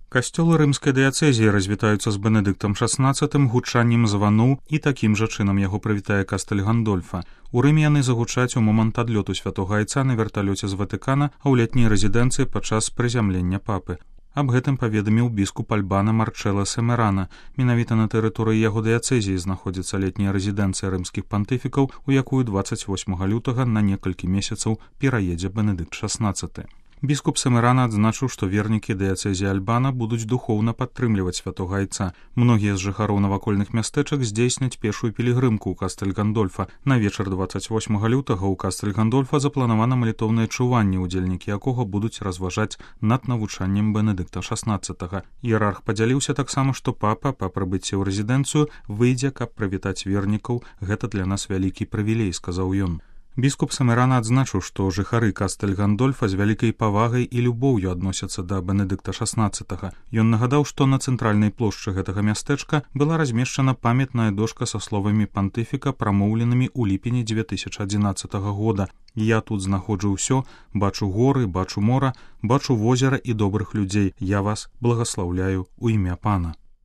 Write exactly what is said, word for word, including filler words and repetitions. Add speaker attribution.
Speaker 1: Касцёлы рымскай дыяцэзіі развітаюцца з Бенедыктам шаснаццатым гучаннем звану і такім жа чынам яго прывітае Кастэль Гандольфа. У Рыме яны загучаць у момант адлёту святога айца на верталёце з Ватыкана, а ў летняй рэзідэнцыі падчас прызямлення папы. Аб гэтым паведаміў біскуп Альбана Марчэлла Семерана. Менавіта на тэрыторыі яго дыяцэзіі знаходзіцца летняя рэзідэнцыя рымскіх пантыфікаў, у якую дваццаць восьмага лютага на некалькі месяцаў пераедзе Бенедыкт шаснаццаты. Біскуп Семерана адзначыў, што вернікі дыяцэзіі Альбана будуць духоўна падтрымліваць святога айца. Многія з жыхароў навакольных мястэчак здзейсняць пешую пілігрымку ў Кастэль Гандольфа. На вечар дваццаць восьмага лютага ў Кастэль Гандольфа запланавана малітоўнае чуванне, удзельнікі якога будуць разважаць над навучаннем Бенедыкта шаснаццатага. Іерарх падзяліўся таксама, што папа па прыбыцці ў рэзідэнцыю выйдзе, каб прывітаць вернікаў. Гэта для нас вялікі прывілей, сказаў ён. Біскуп Семерана адзначыў, што жыхары Кастэль Гандольфа з вялікай павагай і любоўю адносяцца да Бенедыкта шаснаццатага. Ён нагадаў, што на цэнтральнай плошчы гэтага мястэчка была размешчана памятная дошка са словамі пантыфіка, прамоўленымі ў ліпені дзве тысячы адзінаццатага года. «Я тут знаходжу ўсё, бачу горы, бачу мора, бачу возера і добрых людзей. Я вас благаслаўляю ў імя Пана».